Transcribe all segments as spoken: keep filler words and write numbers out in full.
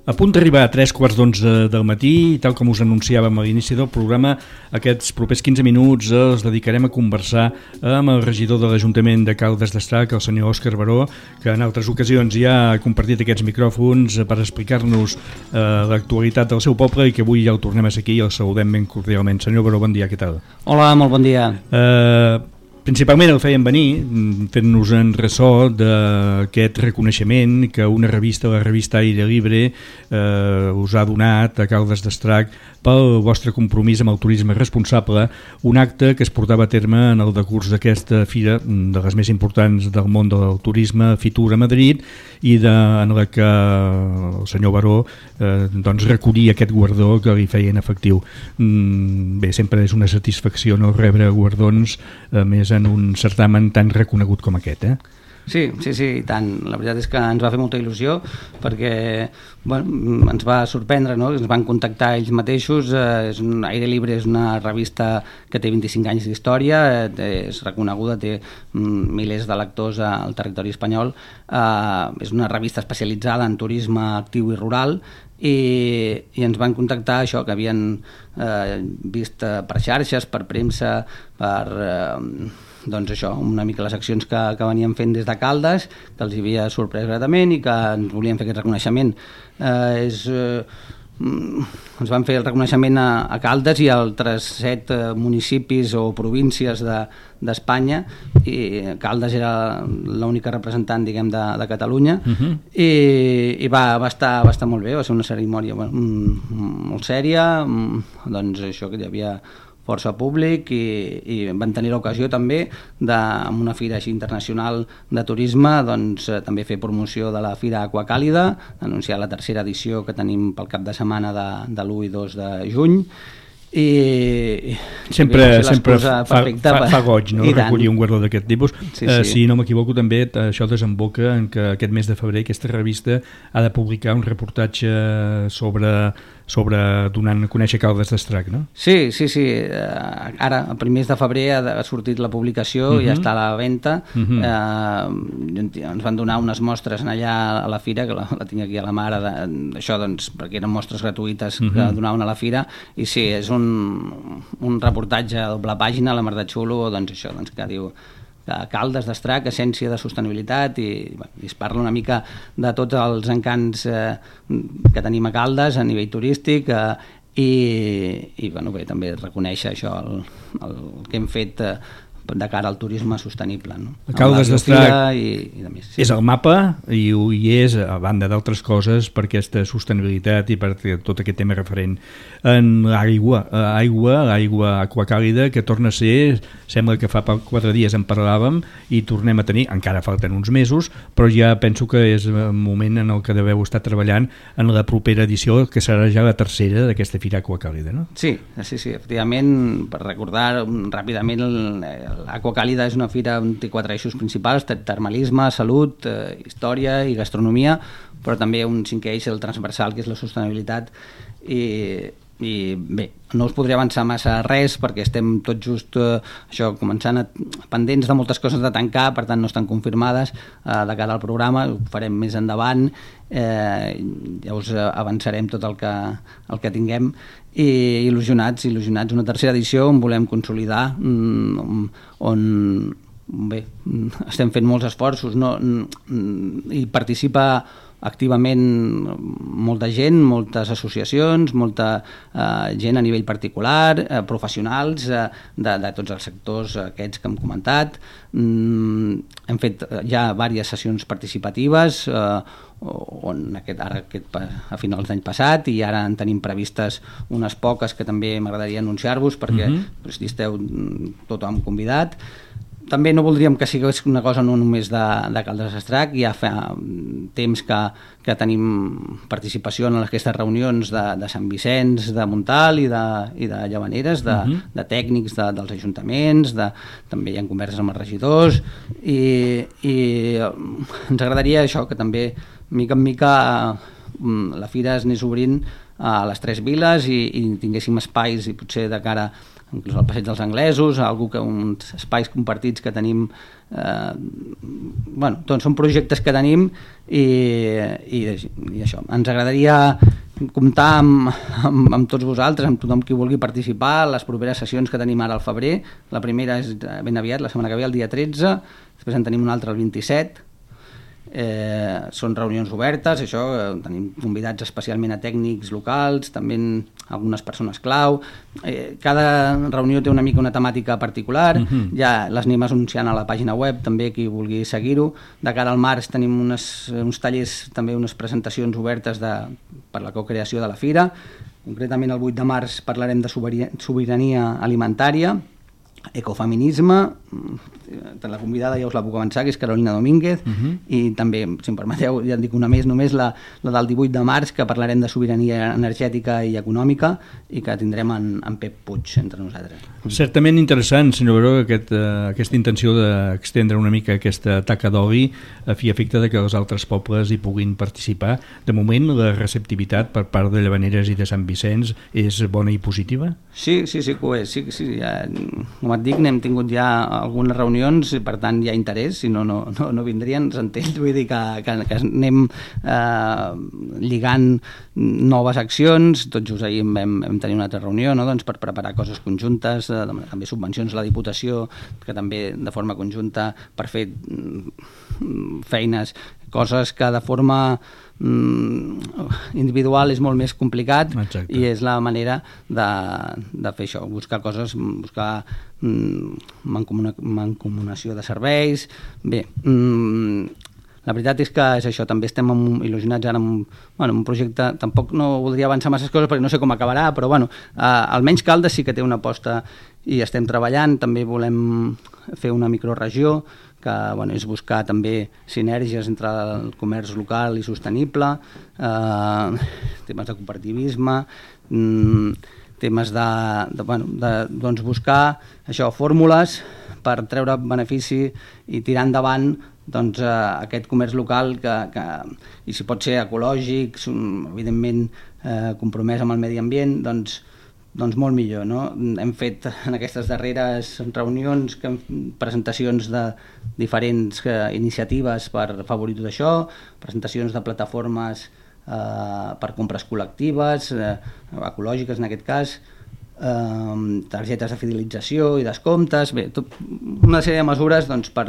A punt d'arribar a tres quarts d'onze del matí i tal com us anunciàvem a l'inici del programa, aquests propers quinze minuts els dedicarem a conversar amb el regidor de l'Ajuntament de Caldes d'Estrac, el senyor Òscar Baró, que en altres ocasions ja ha compartit aquests micròfons per explicar-nos eh, l'actualitat del seu poble i que avui ja el tornem a ser aquí i el saludem ben cordialment. Senyor Baró, bon dia, què tal? Hola, molt bon dia. Eh... Principalment el feien venir fent-nos en ressò d'aquest reconeixement que una revista, la revista Aire Libre, eh, us ha donat a Caldes d'Estrac pel vostre compromís amb el turisme responsable, un acte que es portava a terme en el decurs d'aquesta fira, de les més importants del món del turisme, Fitur a Madrid, i de, en la que el senyor Baró eh, doncs recollia aquest guardó que li feien efectiu. Mm, bé, sempre és una satisfacció no rebre guardons, a més en un certamen tan reconegut com aquest, eh? Sí, sí, sí, i tant. La veritat és que ens va fer molta il·lusió perquè bueno, ens va sorprendre, no? Ens van contactar ells mateixos. Eh, és un, Aire Libre és una revista que té vint-i-cinc anys d'història, eh, és reconeguda, té mm, milers de lectors al territori espanyol. Eh, és una revista especialitzada en turisme actiu i rural i, i ens van contactar això, que havien eh, vist per xarxes, per premsa, per... Eh, doncs això, una mica les accions que, que veníem fent des de Caldes, que els havia sorprès gratament i que ens volien fer aquest reconeixement. Eh, és, eh, ens van fer el reconeixement a, a Caldes i a altres set eh, municipis o províncies de, d'Espanya, i Caldes era l'única representant, diguem, de, de Catalunya, uh-huh. i, i va, va, estar, va estar molt bé, va ser una cerimònia bueno, molt sèria, doncs això que hi havia força públic i, i van tenir l'ocasió també de, amb una fira així internacional de turisme, doncs eh, també fer promoció de la Fira Aquacàlida, anunciar la tercera edició que tenim pel cap de setmana de, de l'u i dos de juny, i sempre, sempre fa, fa, fa, fa goig, no? Recollir un guardó d'aquest tipus. Sí, sí. Uh, si no m'equivoco també això desemboca en que aquest mes de febrer aquesta revista ha de publicar un reportatge sobre, sobre donant a conèixer Caldes d'Estrac, no? Sí, sí, sí. Uh, ara, a primers de febrer ha, ha sortit la publicació, uh-huh. ja està a la venda. Uh-huh. uh, ens van donar unes mostres allà a la fira, que la, la tinc aquí a la mà ara, d'això, doncs, perquè eren mostres gratuïtes uh-huh. que donaven a la fira, i sí, és un un reportatge a doble pàgina, la mar de xulo, doncs això, doncs que diu que Caldes d'Estrac, essència de sostenibilitat, i, bueno, i es parla una mica de tots els encants eh, que tenim a Caldes a nivell turístic, eh, i, i bueno, bé, també reconèixer això, el, el que hem fet eh, de cara al turisme sostenible, no? Caldes d'Estrac i, i més, sí. És el mapa i ho hi és, a banda d'altres coses, per aquesta sostenibilitat i per tot aquest tema referent en l'aigua, aigua, l'aigua aquacàlida, que torna a ser, sembla que fa quatre dies en parlàvem i tornem a tenir, encara falten uns mesos, però ja penso que és el moment en el que deveu estar treballant en la propera edició, que serà ja la tercera d'aquesta Fira Aquacàlida, no? Sí, sí, sí, efectivament, per recordar ràpidament el l'Aquacàlida és una fira on té quatre eixos principals: termalisme, salut, eh, història i gastronomia, però també un cinquè eix, el transversal, que és la sostenibilitat. I, i bé, no us podria avançar massa res perquè estem tot just eh, això, començant a, pendents de moltes coses de tancar, per tant no estan confirmades eh, de cara al programa, ho farem més endavant, eh, ja us avançarem tot el que, el que tinguem, i il·lusionats, il·lusionats, una tercera edició on volem consolidar, on, on bé, estem fent molts esforços, no, i participa activament molta gent, moltes associacions, molta eh, gent a nivell particular, eh, professionals eh, de, de tots els sectors aquests que hem comentat. Mm, hem fet ja diverses sessions participatives eh, on aquest, ara aquest, a finals d'any passat, i ara en tenim previstes unes poques que també m'agradaria anunciar-vos perquè uh-huh. si esteu tothom convidat. També no voldríem que sigués una cosa no només de, de Caldes d'Estrac, ja fa temps que, que tenim participació en aquestes reunions de, de Sant Vicenç, de Montal i de, i de Llavaneres, de, uh-huh. de tècnics de, dels ajuntaments, de, també hi ha converses amb els regidors, i, i ens agradaria això, que també mica en mica la fira es anés obrint a les tres viles i, i tinguéssim espais i potser de cara inclús al passeig dels anglesos, algú que uns espais compartits que tenim, eh, bueno, doncs són projectes que tenim i, i, i això, ens agradaria comptar amb, amb, amb tots vosaltres, amb tothom qui vulgui participar a les properes sessions que tenim ara al febrer. La primera és ben aviat, la setmana que ve, el dia tretze, després en tenim una altra el vint-i-set. Eh, són reunions obertes, això, eh, tenim convidats especialment a tècnics locals, també algunes persones clau. Eh, cada reunió té una mica una temàtica particular, uh-huh. Ja les anem anunciant a la pàgina web, també qui vulgui seguir-ho. De cara al març tenim unes, uns tallers, també unes presentacions obertes de, per la cocreació de la fira. Concretament el vuit de març parlarem de sobirania alimentària, ecofeminisme, la convidada ja us la puc avançar, que és Carolina Domínguez, uh-huh. I també, si em permeteu, ja en dic una més, només la, la del divuit de març, que parlarem de sobirania energètica i econòmica i que tindrem en, en Pep Puig entre nosaltres. Certament interessant, senyor Baró, aquest, uh, aquesta intenció d'extendre una mica aquesta taca d'oli a fi efecte de que els altres pobles hi puguin participar. De moment, la receptivitat per part de Llavaneres i de Sant Vicenç és bona i positiva? Sí, sí, sí que ho és. Sí, sí, ja, com et dic, n'hem tingut ja algunes reunions, per tant hi ha interès, si no, no, no, no vindrien, s'entén, vull dir que, que, que anem eh, lligant noves accions. Tot just ahir vam, vam tenir una altra reunió, no? Doncs per preparar coses conjuntes, eh, també subvencions a la Diputació, que també de forma conjunta per fer feines, coses que de forma individual és molt més complicat. Exacte. I és la manera de, de fer això, buscar coses, buscar mancomuna, mancomunació de serveis. Bé, la veritat és que és això, també estem il·lusionats ara amb, bueno, un projecte, tampoc no voldria avançar masses coses perquè no sé com acabarà, però bueno, eh, almenys Caldes sí que té una aposta i estem treballant. També volem fer una microregió que, bueno, és buscar també sinergies entre el comerç local i sostenible, eh, temes de cooperativisme, mm, temes de, de, bueno, de doncs buscar això, fórmules per treure benefici i tirar endavant doncs, eh, aquest comerç local que, que, i si pot ser ecològic, evidentment eh, compromès amb el medi ambient, doncs doncs molt millor, no? Hem fet en aquestes darreres reunions que, presentacions de diferents eh, iniciatives per afavorir tot això, presentacions de plataformes eh, per compres col·lectives, eh, ecològiques en aquest cas, eh, targetes de fidelització i descomptes, bé, tot, una sèrie de mesures doncs, per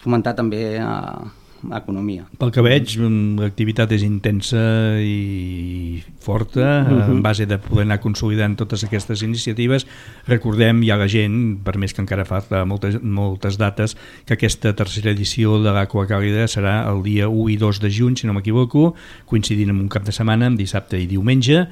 fomentar també eh, economia. Pel que veig, l'activitat és intensa i forta, uh-huh. En base de poder anar consolidant totes aquestes iniciatives. Recordem ja la gent, per més que encara falta moltes, moltes dates, que aquesta tercera edició de l'Aqua Càlida serà el dia u i dos de juny, si no m'equivoco, coincidint amb un cap de setmana, amb dissabte i diumenge,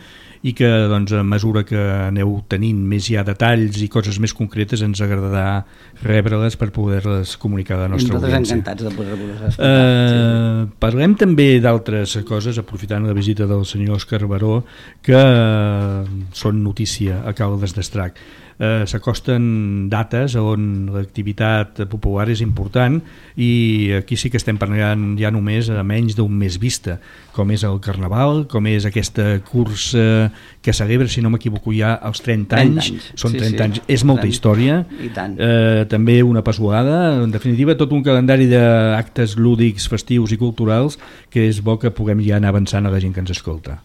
i que doncs, a mesura que aneu tenint més ja detalls i coses més concretes ens agradarà rebre-les per poder-les comunicar a la nostra audiència. Nosaltres encantats de poder-vos explicar. Uh, sí. Parlem també d'altres coses, aprofitant la visita del senyor Òscar Baró, que uh, són notícia a Caldes d'Estrac. Uh, s'acosten dates on l'activitat popular és important i aquí sí que estem parlant ja només a menys d'un mes vista, com és el Carnaval, com és aquesta cursa que celebra, si no m'equivoco, ja als trenta anys, són trenta anys, és molta història, uh, també una passolada, en definitiva tot un calendari d'actes lúdics, festius i culturals que és bo que puguem ja anar avançant a la gent que ens escolta.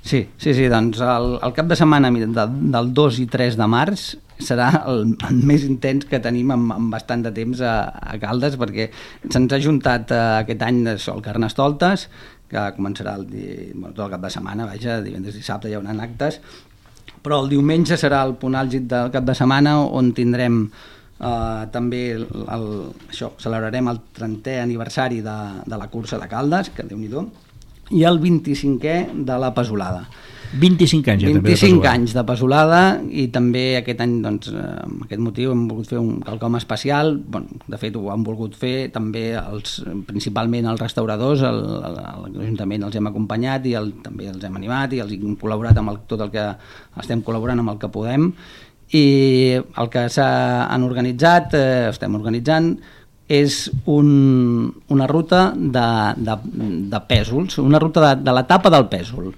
Sí, sí, sí, doncs el, el cap de setmana de, del dos i tres de març serà el, el més intens que tenim en, en bastant de temps a, a Caldes, perquè se'ns ha juntat uh, aquest any això, el Carnestoltes, que començarà el, bueno, tot el cap de setmana, vaja, divendres i dissabte hi haurà actes, però el diumenge serà el punt àlgid del cap de setmana on tindrem Uh, també el, el, això, celebrarem el trentè aniversari de, de la cursa de Caldes, que Déu-n'hi-do, i el vint-i-cinquè de la Pesolada. vint-i-cinc anys ja també de vint-i-cinc Pesolada. anys de Pesolada, i també aquest any, doncs, amb aquest motiu hem volgut fer un quelcom especial. Bueno, de fet ho han volgut fer també els, principalment els restauradors, el, el, l'Ajuntament els hem acompanyat i el, també els hem animat i els hem col·laborat amb el, tot el que estem col·laborant amb el que podem. I el que s'han organitzat, eh, estem organitzant és un, una ruta de, de, de pèsols, una ruta de, de l'etapa del pèsol.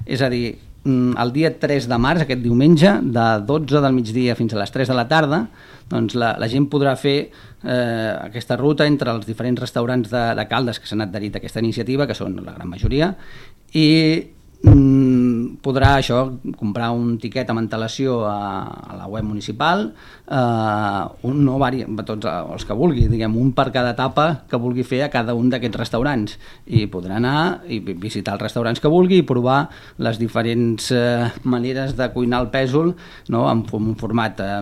És a dir, el dia tres de març, aquest diumenge, de dotze del migdia fins a les tres de la tarda, doncs la, la gent podrà fer eh, aquesta ruta entre els diferents restaurants de, de Caldes que s'han adherit a aquesta iniciativa, que són la gran majoria, i mm, podrà això comprar un tiquet amb antelació a, a la web municipal, eh, un no vari, tots els que vulgui, diguem, un per cada etapa que vulgui fer a cada un d'aquests restaurants, i podrà anar i visitar els restaurants que vulgui i provar les diferents eh, maneres de cuinar el pèsol, no? en un format eh,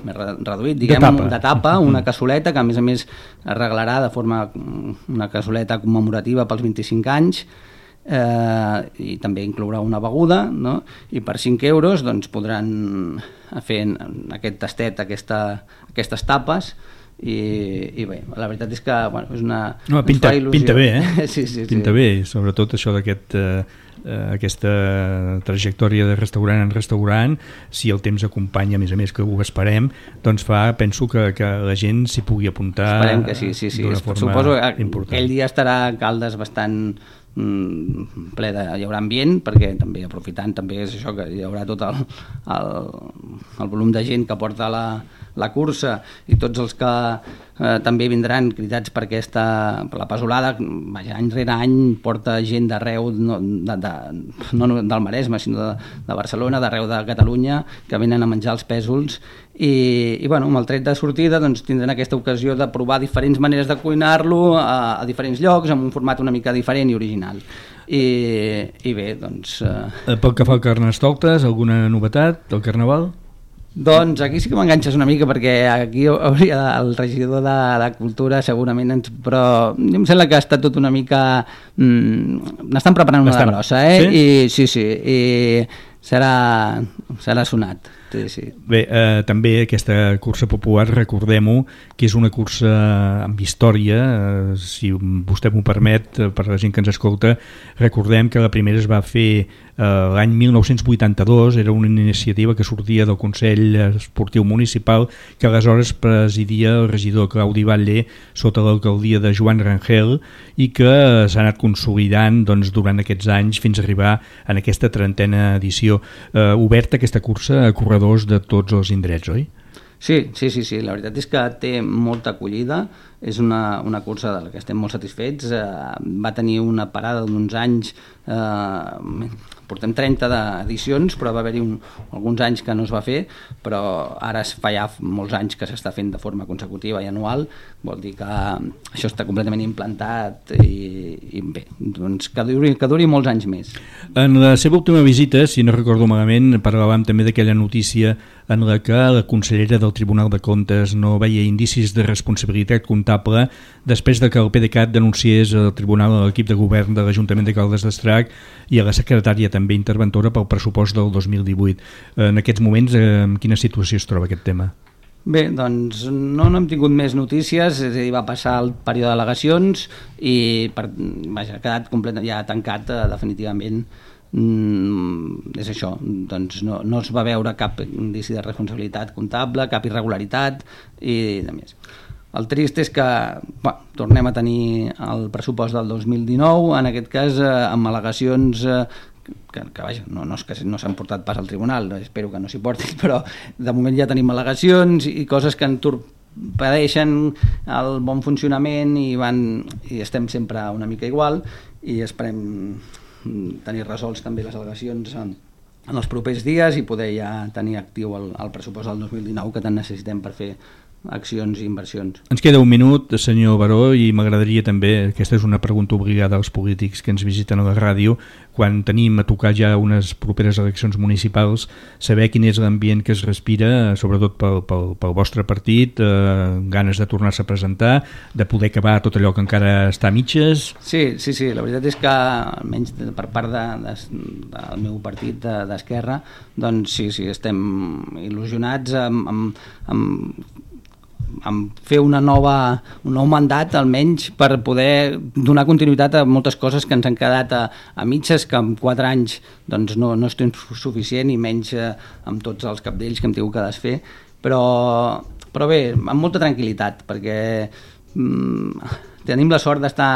més reduït, diguem, de tapa, de tapa una cassoleta que a més a més es regalarà de forma una cassoleta commemorativa pels vint-i-cinc anys, Eh, i també inclourà una beguda, no? I per cinc euros doncs, podran fer aquest tastet, aquesta, aquestes tapes, i, i bé, la veritat és que bueno, és una, no, pinta, pinta bé, eh? sí, sí, pinta sí. bé, sobretot això d'aquest eh, aquesta trajectòria de restaurant en restaurant, si el temps acompanya, a més a més que ho esperem, doncs fa, penso que, que la gent s'hi pugui apuntar. Esperem que sí, sí, sí. D'una forma Suposo que important. Aquell dia estarà Caldes bastant ple de, hi haurà ambient, perquè també aprofitant també és això, que hi haurà tot el, el, el volum de gent que porta la, la cursa i tots els que eh, també vindran cridats per aquesta, per la pesolada, vaja, any rere any porta gent d'arreu, no, de, de, no del Maresme, sinó de, de Barcelona, d'arreu de Catalunya, que venen a menjar els pèsols i, i bueno, amb el tret de sortida doncs, tindran aquesta ocasió de provar diferents maneres de cuinar-lo a, a diferents llocs, amb un format una mica diferent i original. I, i bé, doncs... Eh... Pel que fa al Carnestoltes, alguna novetat del Carnaval? Doncs aquí sí que m'enganxes una mica, perquè aquí hauria el regidor de, de Cultura segurament ens... però em sembla que ha estat tot una mica... Mm, n'estan preparant una de grossa, eh? Sí? I, sí, sí, i serà, serà sonat. Sí, sí. Bé, eh, també aquesta cursa popular, recordem-ho, que és una cursa amb història, eh, si vostè m'ho permet, eh, per la gent que ens escolta, recordem que la primera es va fer eh, l'any mil nou-cents vuitanta-dos, era una iniciativa que sortia del Consell Esportiu Municipal, que aleshores presidia el regidor Claudi Batlle sota l'alcaldia de Joan Rangel, i que s'ha anat consolidant doncs, durant aquests anys fins a arribar en aquesta trentena edició. Eh, oberta aquesta cursa a corredors de tots els indrets, oi? Sí, sí, sí, sí, la veritat és que té molta acollida, és una, una cursa de la que estem molt satisfets, eh, va tenir una parada d'uns anys, eh, portem trenta edicions, però va haver-hi un, alguns anys que no es va fer, però ara es fa ja molts anys que s'està fent de forma consecutiva i anual, vol dir que això està completament implantat i, i bé, doncs que duri, que duri molts anys més. En la seva última visita, si no recordo malament, parlàvem també d'aquella notícia en la que la consellera del Tribunal de Comptes no veia indicis de responsabilitat comptable després de que el P D C A T denunciés al Tribunal a l'equip de govern de l'Ajuntament de Caldes d'Estrac i a la secretària també interventora pel pressupost del dos mil divuit. En aquests moments, en quina situació es troba aquest tema? Bé, doncs no, no hem tingut més notícies, és a dir, va passar el període d'al·legacions i per, vaja, ha quedat complet, ja tancat eh, definitivament. Mm, és això, doncs no, no es va veure cap indici de responsabilitat comptable, cap irregularitat i de més. El trist és que bueno, tornem a tenir el pressupost del dos mil dinou, en aquest cas eh, amb al·legacions eh, que, que vaja, no, no, és que no s'han portat pas al tribunal, espero que no s'hi portin, però de moment ja tenim al·legacions i coses que entorpedeixen el bon funcionament i, van, i estem sempre una mica igual i esperem tenir resolts també les al·legacions en, en els propers dies i poder ja tenir actiu el, el pressupost del dos mil dinou que tant necessitem per fer accions i inversions. Ens queda un minut, senyor Baró, i m'agradaria també, aquesta és una pregunta obligada als polítics que ens visiten a la ràdio, quan tenim a tocar ja unes properes eleccions municipals, saber quin és l'ambient que es respira, sobretot pel, pel, pel vostre partit, eh, ganes de tornar-se a presentar, de poder acabar tot allò que encara està a mitges. Sí, sí, sí, la veritat és que almenys per part de, de, del meu partit d'Esquerra, doncs sí, sí, estem il·lusionats amb, amb, amb amb fer una nova, un nou mandat almenys per poder donar continuïtat a moltes coses que ens han quedat a, a mitges, que en quatre anys doncs no, no és temps suficient i menys eh, amb tots els cabdells que hem tingut que desfer, però, però bé, amb molta tranquil·litat, perquè tenim la sort d'estar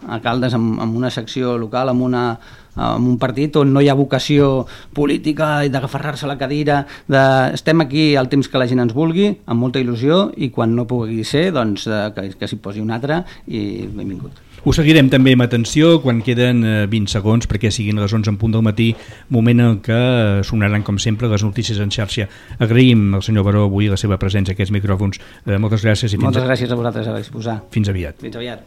a Caldes en, en una secció local, en una en un partit on no hi ha vocació política i d'agafarrar-se a la cadira, de... estem aquí al temps que la gent ens vulgui, amb molta il·lusió, i quan no pugui ser, doncs que, que s'hi posi un altre, i benvingut. Ho seguirem també amb atenció quan queden vint segons perquè siguin les onze en punt del matí, moment en què sonaran com sempre les notícies en xarxa. Agraïm al senyor Baró avui la seva presència a aquests micròfons. Moltes gràcies i fins Moltes gràcies a vosaltres a disposar. Fins aviat. Fins aviat.